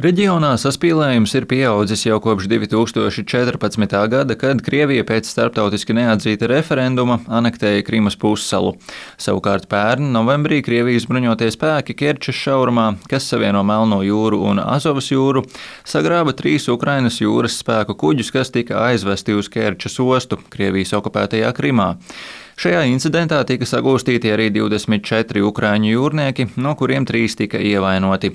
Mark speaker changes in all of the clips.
Speaker 1: Reģionā saspīlējums ir pieaudzis jau kopš 2014. gada, kad Krievija pēc starptautiski neatzīta referenduma anektēja Krimas pussalu. Savukārt pērn novembrī Krievijas bruņotie spēki Kerčes šaurumā, kas savieno Melno jūru un Azovas jūru, sagrāba 3 Ukrainas jūras spēku kuģus, kas tika aizvesti uz Kerčes ostu Krievijas okupētajā Krimā. Šajā incidentā tika sagūstīti arī 24 ukraiņu jūrnieki, no kuriem 3 tika ievainoti.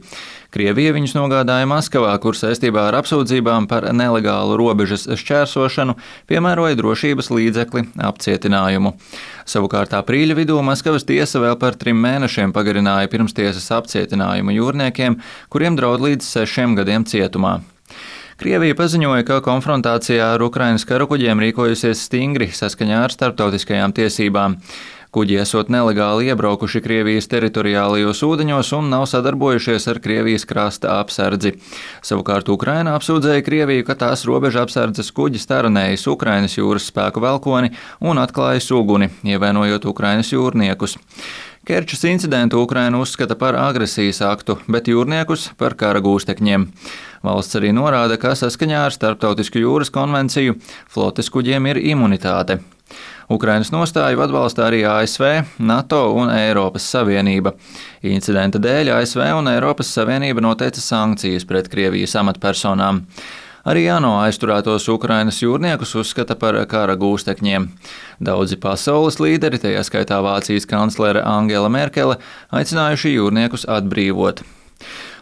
Speaker 1: Krievija viņus nogādāja Maskavā, kur saistībā ar apsūdzībām par nelegālu robežas šķērsošanu piemēroja drošības līdzekli apcietinājumu. Savukārt aprīļa vidū Maskavas tiesa vēl par 3 mēnešiem pagarināja pirmstiesas apcietinājumu jūrniekiem, kuriem draud līdz 6 gadiem cietumā. Krievija paziņoja, ka konfrontācijā ar Ukrainas karakuģiem rīkojusies stingri saskaņā ar starptautiskajām tiesībām. Kuģi esot nelegāli iebraukuši Krievijas teritoriālajos ūdeņos un nav sadarbojušies ar Krievijas krasta apsardzi. Savukārt Ukraina apsūdzēja Krieviju, ka tās robeža apsardzes kuģis taranējis Ukrainas jūras spēku velkoni un atklājis uguni, ievainojot Ukrainas jūrniekus. Kerčes incidentu Ukraina uzskata par agresijas aktu, bet jūrniekus par kara gūstekņiem. Valsts arī norāda, ka saskaņā ar Starptautisku jūras konvenciju flotes kuģiem ir imunitāte. Ukrainas nostāju atbalsta arī ASV, NATO un Eiropas Savienība. Incidenta dēļ ASV un Eiropas Savienība noteica sankcijas pret Krievijas amatpersonām. Arī ANO aizturētos Ukrainas jūrniekus uzskata par kara gūstekņiem. Daudzi pasaules līderi, tajā skaitā Vācijas kanclere Angela Merkele, aicinājuši jūrniekus atbrīvot.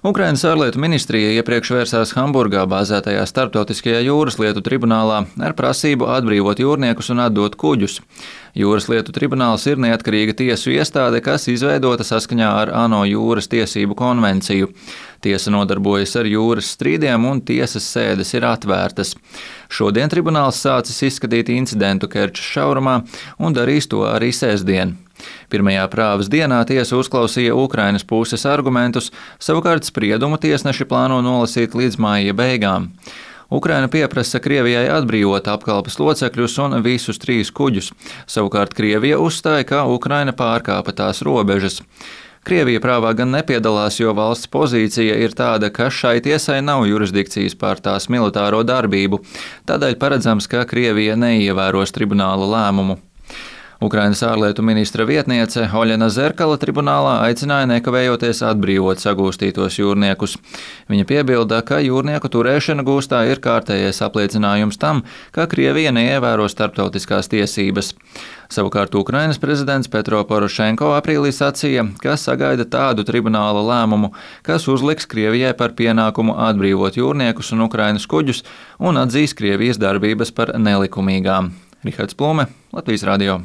Speaker 1: Ukrainas ārlietu ministrija iepriekš vērsās Hamburgā bāzētajā Starptautiskajā jūras lietu tribunālā ar prasību atbrīvot jūrniekus un atdot kuģus. Jūras lietu tribunāls ir neatkarīga tiesu iestāde, kas izveidota saskaņā ar ANO jūras tiesību konvenciju. Tiesa nodarbojas ar jūras strīdiem un tiesas sēdes ir atvērtas. Šodien tribunāls sācis izskatīt incidentu Kerčes šaurumā un darīs to arī sestdien. Pirmajā prāvas dienā tiesa uzklausīja Ukrainas puses argumentus, savukārt spriedumu tiesneši plāno nolasīt līdz maija beigām. Ukraina pieprasa Krievijai atbrīvot apkalpes locekļus un visus 3 kuģus, savukārt Krievija uzstāja, ka Ukraina pārkāpa tās robežas. Krievija prāvā gan nepiedalās, jo valsts pozīcija ir tāda, ka šai tiesai nav jurisdikcijas pār tās militāro darbību, tādēļ paredzams, ka Krievija neievēros tribunāla lēmumu. Ukrainas ārlietu ministra vietniece Oļena Zerkala tribunālā aicināja nekavējoties atbrīvot sagūstītos jūrniekus. Viņa piebilda, ka jūrnieku turēšana gūstā ir kārtējais apliecinājums tam, ka Krievija neievēro starptautiskās tiesības. Savukārt Ukrainas prezidents Petro Porošenko aprīlī sacīja, ka sagaida tādu tribunāla lēmumu, kas uzliks Krievijai par pienākumu atbrīvot jūrniekus un Ukrainas kuģus un atzīs Krievijas darbības par nelikumīgām. Rihards Plume, Latvijas radio.